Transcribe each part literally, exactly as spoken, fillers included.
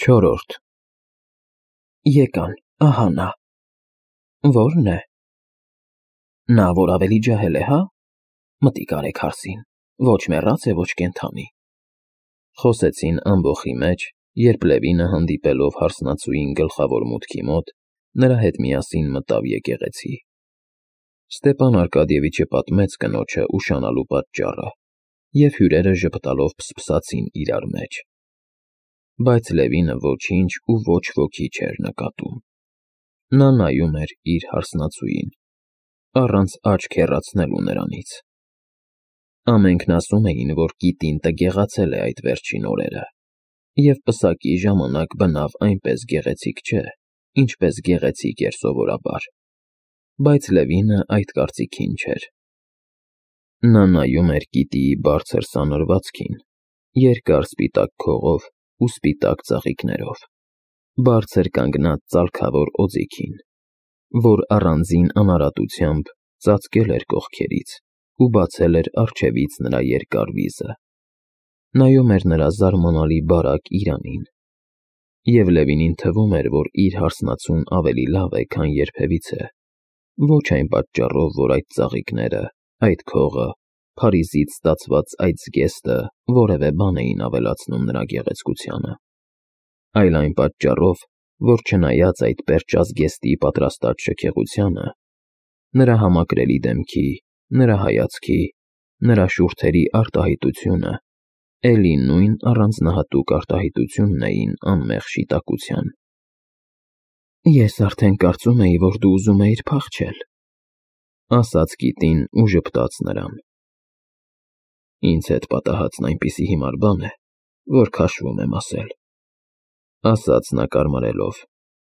Չորրորդ Եկան, ահա նա։ Ո՞րն է։ Նա, որ ավելի ջահել է, հա՞։ Մտիկ արեք հարսին, ոչ մեռած է, ոչ կենդանի։ Խոսեցին ամբոխի մեջ, երբ Լևինը հանդիպելով հարսնացուին գլխավոր մուտքի մոտ, նրա հետ միասին մտավ եկեղեցի։ Ստեպան Արկադիևիչը պատմեց կնոջը ուշանալու պատճառը, և հյուրերը ժպտալով փսփսացին իրար մեջ։ Բայց Լևինը ոչինչ ու ոչ ոքի չէր նկատում։ Նա նայում էր իր հարսնացուին, առանց աչք հեռացնելու նրանից։ Ամենքն ասում էին, որ կիտին տգեղացել է այդ վերջին օրերը, և պսակի ժամանակ բնավ այնպես գեղեցիկ չէ, ինչպես գեղեցիկ էր սովորաբար, բայց Լևինը այդ կարծիքին չէր։ Նա նայում էր կիտիի բարձր սանրվածքին, երկար սպիտակ քողով ու սպիտակ ծաղիկներով, բարձր կանգնած ծալքավոր օձիքին, որ առանձին անարատությամբ ծածկել էր կողքերից ու բացել էր առջևից նրա երկար վիզը, նայում էր նրա զարմանալի բարակ իրանին, և Լևինին թվում էր, որ իր հարսնացուն ավելի լավ է, քան երբևիցե, ոչ այն պատճառով, որ այդ ծաղիկները, այդ քողը, Փարիզից ստացված այդ զգեստը որևէ բան էին ավելացնում նրա գեղեցկությանը, այլ այն պատճառով, որ չնայած այդ պերճազգեստի պատրաստած շքեղությանը, նրա համակրելի դեմքի, նրա հայացքի, նրա շուրթերի արտահայտությունը էլի նույն առանձնահատուկ արտահայտությունն էին անմեղ շիտակության։ Ես արդեն կարծում էի, որ դու ուզում էիր փախչել, ասաց կիտին ու ժպտաց նրան։ Ինձ հետ պատահածն այնպիսի հիմար բան է, որ քաշվում եմ ասել, ասաց նա կարմարելով,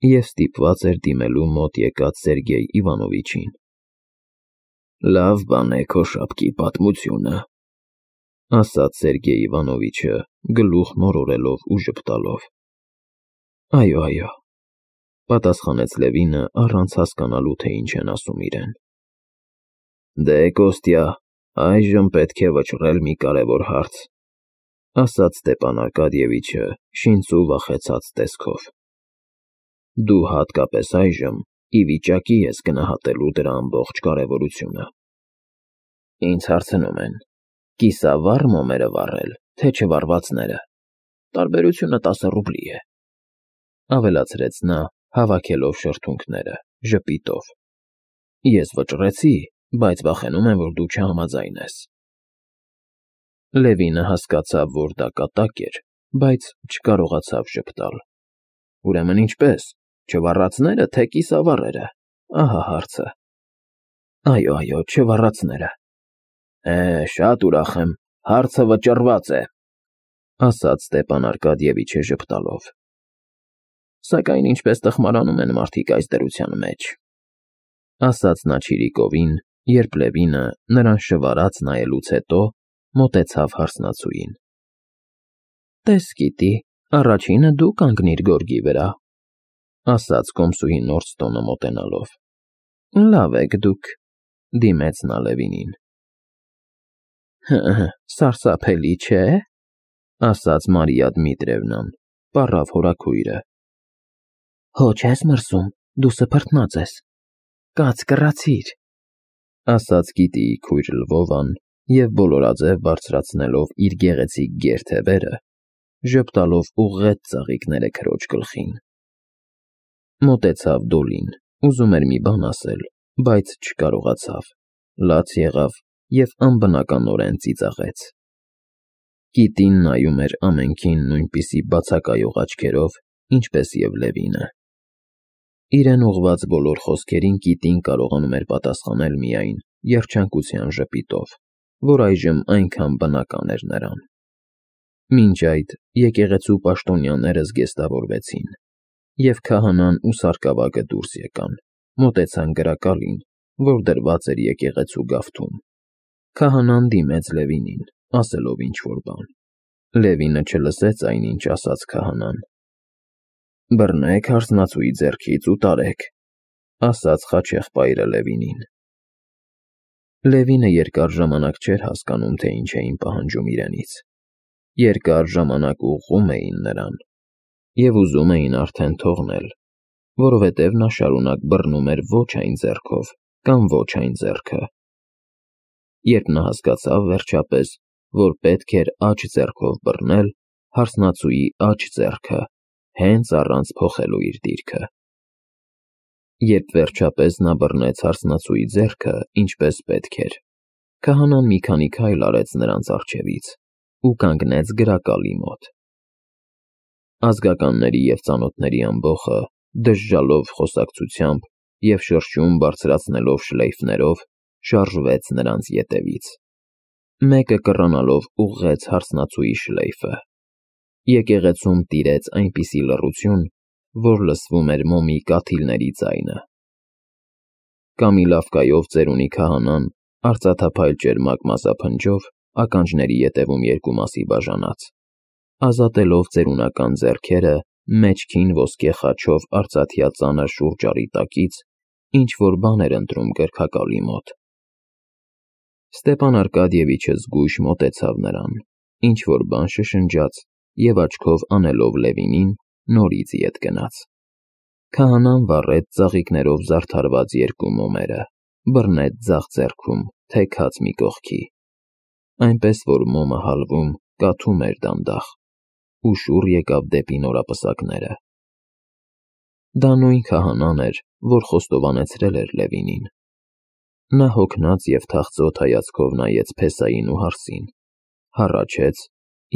և ստիպված էր դիմելու մոտ եկած Սերգեյ Իվանովիչին։ Լավ բան է քո շապկի պատմությունը, ասաց Սերգեյ Իվանովիչը, գլուխ մորորելով ու ժպտալով։ Այո, այո, պատասխանեց Լևինը, առանց հասկանալու, թե ինչ են ասում իրեն։ Դե, Կոստյա, այժմ պետք է վճռել մի կարևոր հարց, ասաց Ստեպան Արկադիևիչը շինծու վախեցած տեսքով։ Դու հատկապես այժմ ի վիճակի ես գնահատելու դրա ամբողջ կարևորությունը։ Ինձ հարցնում են, կիսավառ մոմերը վառել, թե չվառվածները, տարբերությունը տասը ռուբլի է, ավելացրեց նա, հավաքելով շրթունքները, ժպիտով։ Ես վճռեցի, բայց վախենում եմ, որ դու չհամաձայնես։ Լևինը հասկացավ, որ դա կատակ էր, բայց չկարողացավ ժպտալ։ Ուրեմն ինչպես, չվառածնե՞րը, թե կիսավառերը, ահա հարցը։ Այո, այո, չվառածները։ Է, շատ ուրախ եմ, հարցը վճռված է, ասաց Ստեպան Արկադիևիչը ժպտալով։ Սակայն ինչպես տխմարանում են մարդիկ այս դրության մեջ, ասաց նա չիրիկովին, երբ Լևինը, նրան շվարած նայելուց հետո, մոտեցավ հարսնացուին։ Տես, գիտի, առաջինը դու կանգնիր գորգի վրա, ասաց կոմսուհի Նորստոնը մոտենալով։ Լավ եք դուք, դիմեց նա Լևինին։ Հը, սարսափելի չէ, ասաց Մարիա Դմիտրիևնան, պառավ հորաքույրը։ Հո չես մրսում, դու սփռտնած ես, կաց կռացիր, ասաց գիտիի քույր Լվովան, և բոլորաձև բարձրացնելով իր գեղեցիկ գեր թևերը, ժպտալով ուղղեց ծաղիկները քրոջ գլխին։ Մոտեցավ Դոլին, ուզում էր մի բան ասել, բայց չկարողացավ, լաց եղավ և անբնականորեն ծիծաղեց։ Կիտին նայում էր ամենքին նույնպիսի բացակայող աչքերով, ինչպես և Լևինը։ Իրեն ուղղված բոլոր խոսքերին կիտին կարողանում էր պատասխանել միայն երջանկության ժպիտով, որ այժմ այնքան բնական էր նրան։ Մինչ այդ եկեղեցու պաշտոնյաները զգեստավորվեցին, և քահանան ու սարկավագը դուրս եկան, մոտեցան գրակալին, որ դրված էր եկեղեցու գավթում։ Քահանան դիմեց Լևինին, ասելով ինչ֊որ բան։ Լևինը չլսեց այն, ինչ ասաց քահանան։ Բռնեք հարսնացուի ձեռքից ու տարեք, ասաց խաչեղբայրը Լևինին։ Լևինը երկար ժամանակ չէր հասկանում, թե ինչ էին պահանջում իրենից։ Երկար ժամանակ ուղղում էին նրան, և ուզում էին արդեն թողնել, որովհետև նա շարունակ բռնում էր ոչ այն ձեռքով կամ ոչ այն ձեռքը։ Երբ նա հասկացավ, վերջապես, որ պետք էր աջ ձեռքով բռնել հարսնացուի աջ ձեռքը, հենց առանց փոխելու իր դիրքը։ Երբ վերջապես նա բռնեց հարսնացուի ձեռքը, ինչպես պետք էր, քահանան մի քանի քայլ արեց նրանց առջևից ու կանգնեց գրակալի մոտ։ Ազգականների և ծանոթների ամբոխը, դժժալով խոսակցությամբ և շրշում բարձրացնելով շլեյֆներով, շարժվեց նրանց ետևից։ Մեկը կռանալով ուղղեց հարսնացուի շլեյֆը։ Եկեղեցում տիրեց այնպիսի լռություն, որ լսվում էր մոմի կաթիլների ձայնը։ Կամիլավկայով ծերունի քահանան արծաթափայլ ճերմակ մազափնջով ականջների ետևում երկու մասի բաժանած, ազատելով ծերունական ձեռքերը մեջքին ոսկե խաչով արծաթյա ծանր շուրջառի տակից, ինչ-որ բան էր ընտրում գրքակալի մոտ։ Ստեպան Արկադիևիչը զգույշ մոտեցավ նրան, ինչ-որ բան շշնջաց և աչքով անելով Լևինին, նորից ետ գնաց։ Քահանան վառեց ծաղիկներով զարդարված երկու մոմերը, բռնեց ձախ ձեռքում, թեքած մի կողքի, այնպես որ մոմը հալվում, կաթում էր դանդաղ, ու շուռ եկավ դեպի նորապսակները։ Դա նույն քահանան էր, որ խոստովանեցրել էր Լևինին։ Նա հոգնած և թախծոտ հայացքով նայեց փեսային ու հարսին, հառաչեց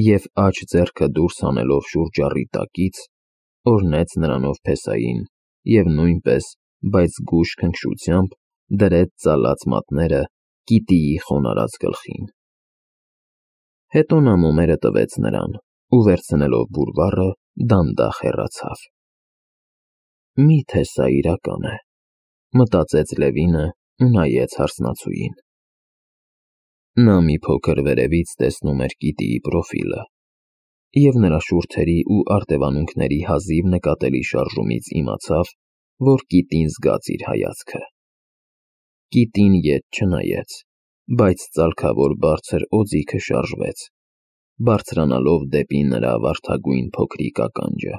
և աջ ձեռքը դուրս հանելով շուրջառի տակից, օրհնեց նրանով փեսային և նույնպես, բայց զգույշ քնքշությամբ դրեց ծալած մատները կիտիի խոնարհած գլխին։ Հետո նա մոմերը տվեց նրան ու վերցնելով բուրվառը դանդաղ հեռացավ։ Մի՞թե սա իրական է, մտածեց Լևինը ու նայեց հարսնացուին։ Նա մի փոքր վերևից տեսնում էր կիտիի պրոֆիլը և նրա շուրթերի ու արտևանունքների հազիվ նկատելի շարժումից իմացավ, որ կիտին զգաց իր հայացքը։ Կիտին ետ չնայեց, բայց ծալքավոր բարձր օձիքը շարժվեց, բարձրանալով դեպի նրա վարդագույն փոքրիկ ականջը։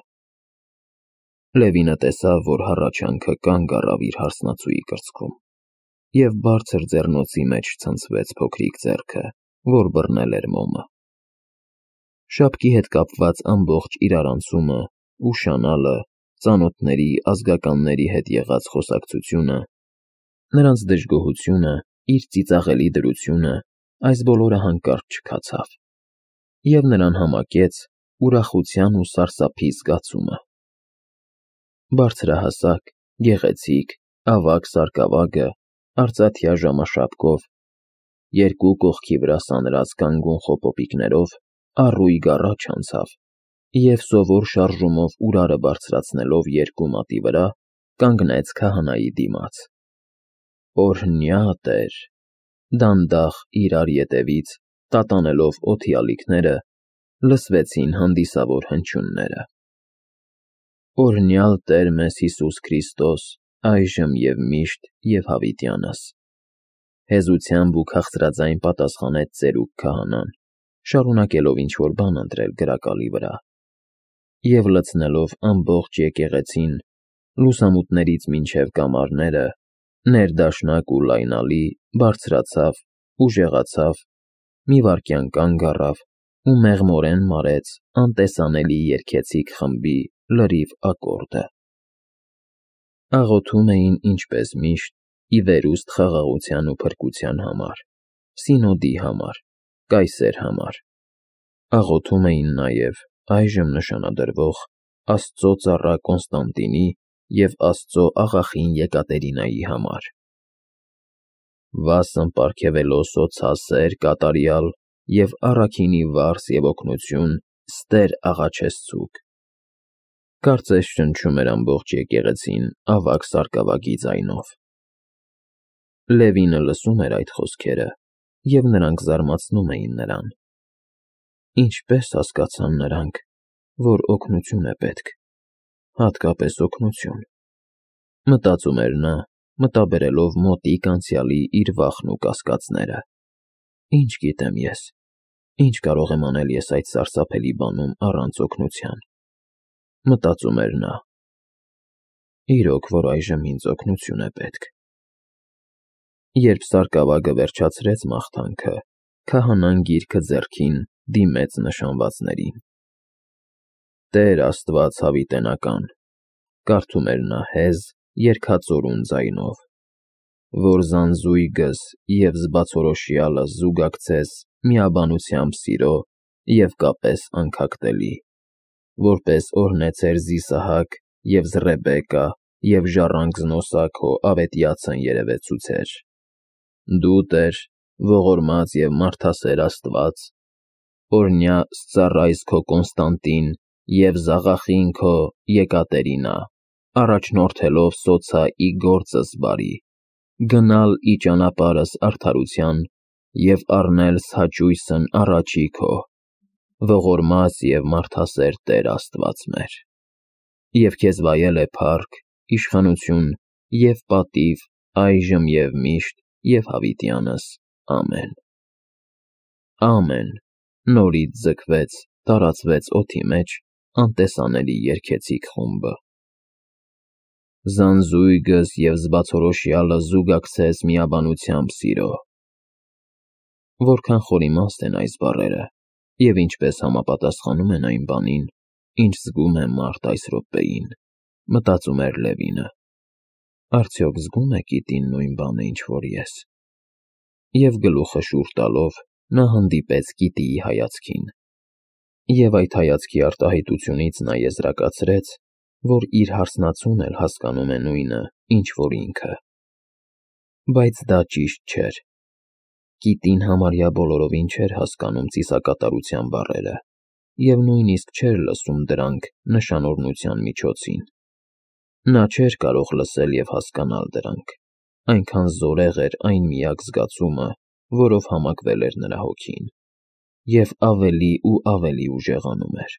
Լևինը տեսավ, որ հառաչանքը կանգ առավ իր հարսնացուի կրծքում, և բարձր ձեռնոցի մեջ ցնցվեց փոքրիկ ձեռքը, որ բռնել էր մոմը։ Շապկի հետ կապված ամբողջ իրարանցումը, ուշանալը, ծանոթների, ազգականների հետ եղած խոսակցությունը, նրանց դժգոհությունը, իր ծիծաղելի դրությունը, այս բոլորը հանկարծ չքացավ, և նրան համակեց ուրախության ու սարսափի զգացումը։ Բարձրահասակ, գեղեցիկ, ավագ սարկավագը, արծաթյա ժամաշապկով, երկու կողքի վրա սանրած կանգուն խոպոպիկներով, առույգ առաջ անցավ և սովոր շարժումով ուրարը բարձրացնելով երկու մատի վրա, կանգնեց քահանայի դիմաց։ Օրհնյա Տեր, դանդաղ իրար ետևից, տատանելով օդի ալիքները, լսվեցին հանդիսավոր հնչյունները։ Օրհնյալ Տեր մեզ Հիսուս Քրիստոս, այժմ և միշտ և հավիտյանս։ Հեզությամբ ու քաղցրաձայն պատասխանեց ծերուկ քահանան, շարունակելով ինչ-որ բան ընտրել գրակալի վրա, և լցնելով ամբողջ եկեղեցին, լուսամուտներից մինչև կամարները, ներդաշնակ ու լայնալի, բարձրացավ, ուժեղացավ, մի վայրկյան կանգ առավ ու մեղմորեն մարեց անտեսանելի երգեցիկ խմբի լրիվ ակորդը։ Աղոթում էին, ինչպես միշտ, ի վերուստ խաղաղության ու փրկության համար, Սինոդի համար, կայսեր համար։ Աղոթում էին նաև այժմ նշանադրվող Աստծո ծառա Կոնստանտինի և Աստծո աղախին Եկատերինայի համար։ Վասն պարգևելով սոցասեր կատարյալ և առաքինի վարձ և օգնություն ստեր աղաչեսցուկ։ Կարծես շնչում էր ամբողջ եկեղեցին ավագ սարկավագի ձայնով։ Լևինը լսում էր այդ խոսքերը, և նրանք զարմացնում էին նրան։ Ինչպե՞ս հասկացան նրանք, որ օգնություն է պետք, հատկապես օգնություն, մտածում էր նա, մտաբերելով մոտիկ անցյալի իր վախն ու կասկածները։ Ինչ գիտեմ ես, ինչ կարող եմ անել ես այդ սարսափելի բանում առանց օգնության։ Մտածում էր նա։ Իրոք, որ այժմ ինձ օգնություն է պետք։ Երբ սարկավագը վերջացրեց մաղթանքը, քահանան գիրքը ձեռքին դիմեց նշանվածներին։ Տեր Աստված հավիտենական, կարդում էր նա հեզ, երգածորուն ձայնով, որ զանզույգս և զբացորոշյալը զուգակցես միաբանությամբ սիրո և կապես անքակտելի, որպես օրհնեցեր Զիսահակ և Ռեբեկա և ժառանգ զնոսա քո ավետյացն երևեցուցեր։ Դու, Տեր, ողորմած և մարդասեր Աստված, օրհնյա սծառայս քո Կոնստանտին և զաղախին քո Եկատերինա, առաջնորդելով սոցա ի գործս բարի, գնալ ի ճանապարհս արդարության և առնել սհաճույսն առաջի քո, ողորմած և մարդասեր Տեր Աստված մեր, և քեզ վայել է փառք, իշխանություն և պատիվ այժմ և միշտ և հավիտյանս, ամեն։ Ամեն, նորից ձգվեց, տարածվեց օդի մեջ անտեսանելի երգեցիկ խումբը։ Զանզույգս և զբացորոշյալը զուգակցես միաբանությամբ սիրո։ Որքան խորիմաստ են այս բառերը, և ինչպես համապատասխանում են այն բանին, ինչ զգում է մարդ այս րոպեին, մտածում էր Լևինը։ Արդյոք զգում է գիտին նույն բանը, ինչ որ ես։ Եվ գլուխը շուռ տալով, նա հանդիպեց գիտիի հայացքին։ Եվ այդ հայացքի արտահայտությունից նա եզրակացրեց, որ իր հարսնացուն էլ հասկանում է նույնը, ինչ որ ինքը։ Բայց դա ճիշտ չէր։ Գիտին համարյա բոլորովին չէր հասկանում ծիսակատարության բառերը, և նույնիսկ չէր լսում դրանք նշանօրհնության միջոցին։ Նա չէր կարող լսել և հասկանալ դրանք, այնքան զորեղ էր այն միակ զգացումը, որով համակվել էր նրա հոգին, և ավելի ու ավելի ուժեղանում էր։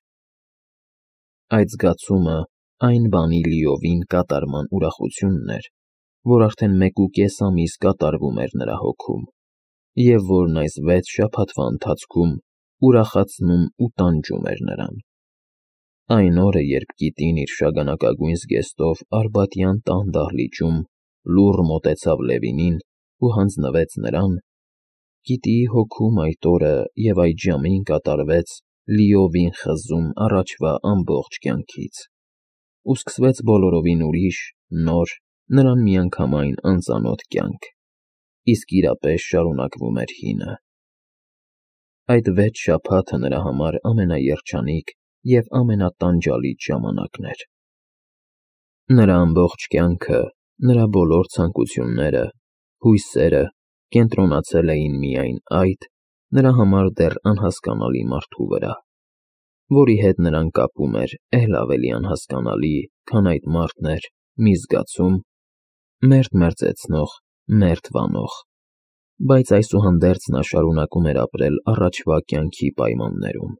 Այդ զգացումը այն բանի լիովին կատարման ուրախությունն էր, որ արդեն մեկուկես ամիս կատարվում էր նրա հոգում, և որն այս վեց շաբաթվա ընթացքում ուրախացնում ու տանջում էր նրան։ Այն օրը, երբ գիտին իր շագանակագույն զգեստով Արբատյան տան դահլիճում լուռ մոտեցավ Լևինին ու հանձնվեց նրան, գիտիի հոգում այդ օրը և այդ ժամին կատարվեց լիովին խզում առաջվա ամբողջ կյանքից, ու սկսվեց բոլորովին ուրիշ, նոր, նրան միանգամայն անծանոթ կյանք, իսկ իրապես շարունակվում էր հինը։ Այդ վեց շաբաթը նրա համար ամենաերջանիկ և ամենատանջալից ժամանակն էր։ Նրա ամբողջ կյանքը, նրա բոլոր ցանկությունները, հույսերը կենտրոնացել էին միայն այդ, նրա համար դեռ անհասկանալի մարդու վրա, որի հետ նրան կապում էր էլ ավելի անհասկանալի, քան այդ մարդն էր, մի զգացում՝ մերթ մերձեցնող, մերթ վանող, բայց այսուհանդերձ նա շարունակում էր ապրել առաջվա կյանքի պայմաններում։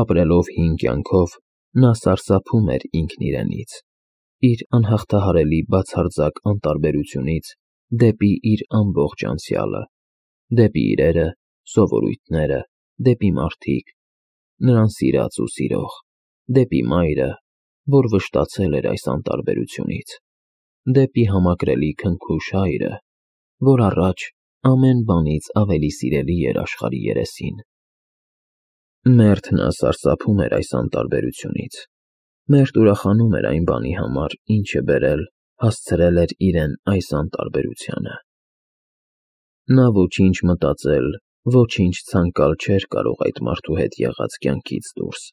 Ապրելով հին կյանքով, նա սարսափում էր ինքն իրենից, իր անհաղթահարելի բացարձակ անտարբերությունից դեպի իր ամբողջ անցյալը, դեպի իրերը, սովորույթները, դեպի մարդիկ, նրան սիրած ու սիրող, դեպի մայրը, որ վշտացել էր այս անտարբերությունից, դեպի համակրելի քնքուշ հայրը, որ առաջ ամեն բանից ավելի սիրելի էր աշխարհի երեսին։ Մերթ նա սարսափում էր այս անտարբերությունից, մերթ ուրախանում էր այն բանի համար, ինչը բերել, հասցրել էր իրեն այս անտարբերությանը։ Նա ոչինչ մտածել, ոչինչ ցանկալ չէր կարող այդ մարդու հետ եղած կյանքից դուրս,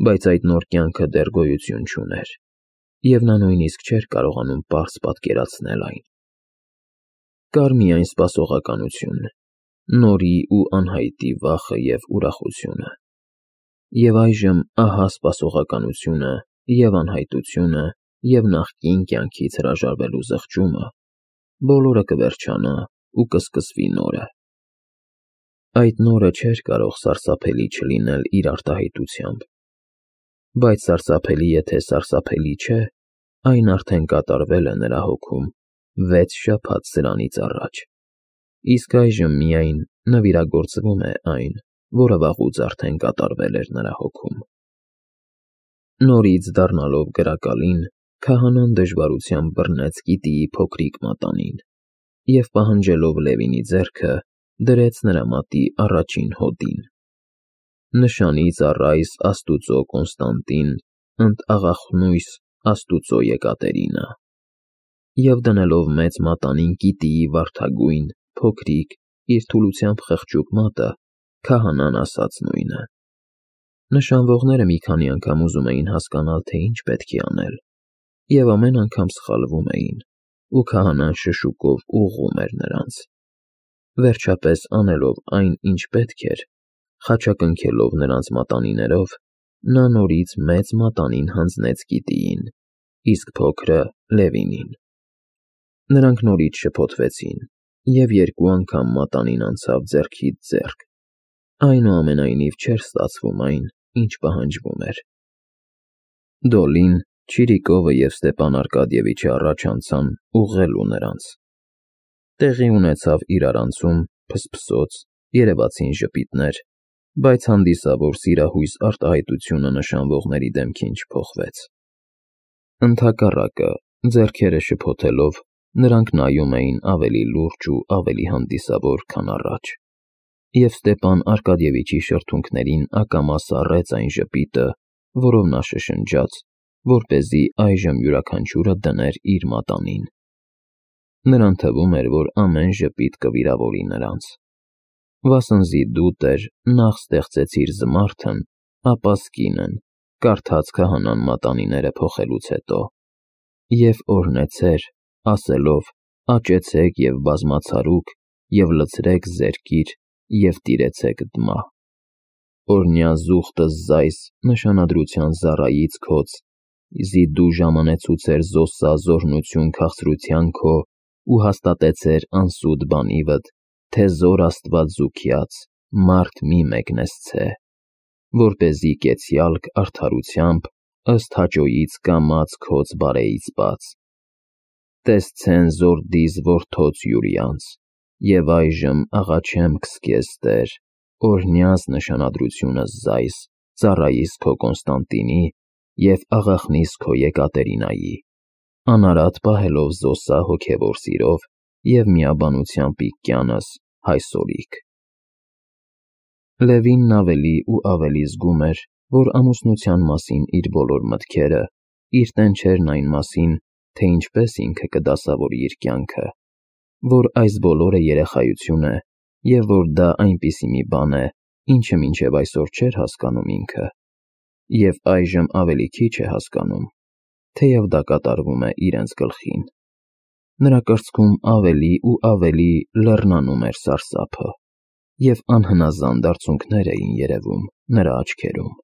բայց այդ նոր կյանքը դեռ գոյություն չուներ, և նա նույնիսկ չէր կարողանում պարզ պատկերացնել այն։ Կար միայն սպասողականություն, նորի ու անհայտի վախը և ուրախությունը։ Եվ այժմ ահա սպասողականությունը և անհայտությունը և նախկին կյանքից հրաժարվելու զղջումը, բոլորը կվերջանա ու կսկսվի նորը։ Այդ նորը չէր կարող սարսափելի չլինել իր արտահայտությամբ, բայց սարսափելի եթե սարսափելի չէ, այն արդեն կատարվել է նրա հոգում վեց շաբաթ սրանից առաջ, իսկ այժմ միայն նվիրագործվում է այն, որը վաղուց արդեն կատարվել էր նրա հոգում։ Նորից դառնալով գրակալին, քահանան դժվարությամբ բռնեց գիտիի փոքրիկ մատանին և պահանջելով Լևինի ձեռքը, դրեց նրա մատի առաջին հոդին. «Նշանից առ այս Աստուծո Կոնստանտին, ընդ աղախնույս Աստուծո Եկատերինա»։ Եվ դնելով մեծ մատանին գիտիի վարդագույն, փոքրիկ, իր թուլությամբ խղճուկ մատը, քահանան ասաց նույնը։ Նշանվողները մի քանի անգամ ուզում էին հասկանալ, թե ինչ պետք է անել, և ամեն անգամ սխալվում էին, ու քահանան շշուկով ուղղում էր նրանց։ Վերջապես, անելով այն, ինչ պետք էր, խաչակնքելով նրանց մատանիներով, նա նորից մեծ մատանին հանձնեց գիտիին, իսկ փոքրը՝ Լևինին։ Նրանք նորից շփոթվեցին, և երկու անգամ մատանին անցավ ձեռքից ձեռք, այնուամենայնիվ չէր ստացվում այն, ինչ պահանջվում էր։ Դոլին, Չիրիկովը և Ստեպան Արկադիևիչը առաջ անցան ուղղելու նրանց։ Տեղի ունեցավ իրարանցում, փսփսոց, երևացին ժպիտներ, բայց հանդիսավոր սիրահույս արտահայտությունը նշանվողների դեմքին չփոխվեց։ Ընդհակառակը, ձեռքերը շփոթելով, նրանք նայում էին ավելի լուրջ ու ավելի հանդիսավոր, քան առաջ, և Ստեպան Արկադիևիչի շրթունքներին ակամա սառեց այն ժպիտը, որով նա շշնջաց, որպեսզի այժմ յուրաքանչյուրը դներ իր մատանին։ Նրան թվում էր, որ ամեն ժպիտ կվիրավորի նրանց։ Վասնզի դու, Տեր, նախ ստեղծեցիր զմարթն, ապա սկինն, կարդաց քահանան մատանիները փոխելուց հետո, և օրհնեցեր, ասելով. «Աճեցեք և բազմացարուք, և լցրեք զերկիր, և տիրեցեք դմա»։ Օրհնյա զուխտը զայս նշանադրության զառայից քոց, զի դու ժամանեցուցեր զօսսա զօրհնություն քաղցրության քո ու հաստատեցեր անսուտ բանիվդ, թե զոր Աստված զուգյաց, մարդ մի մեկնեսցե, որպեսզի կեցյալք արդարությամբ, ըստ հաճոյից կամաց քոց բարեից բաց։ Տեսցեն զոր դիզ որդոց յուրյանց, և այժմ աղաչեմ քսկես, Տեր, օրհնյաս նշանադրությունս զայս, ծառայիս քո Կոնստանտինի և աղախնիս քո Եկատերինայի, անարատ պահելով զօսսա հոգևոր սիրով և միաբանությամբ իգյանս հայսօրիկ։ Լևինն ավելի ու ավելի զգում էր, որ ամուսնության մասին իր բոլոր մտքերը իր տեն չէրն այն մասին, թե ինչպես ինքը կդասավորի իր կյանքը, որ այս բոլորը երեխայություն է, և որ դա այնպիսի մի բան է, ինչը մինչև այսօր չէր հասկանում ինքը, և այժմ ավելի քիչ է հասկանում, թեև դա կատարվում է իրենց գլխին։ Նրա կրծքում ավելի ու ավելի լեռնանում էր սարսափը, և անհնազանդ արցունքներ էին երևում նրա աչքերում։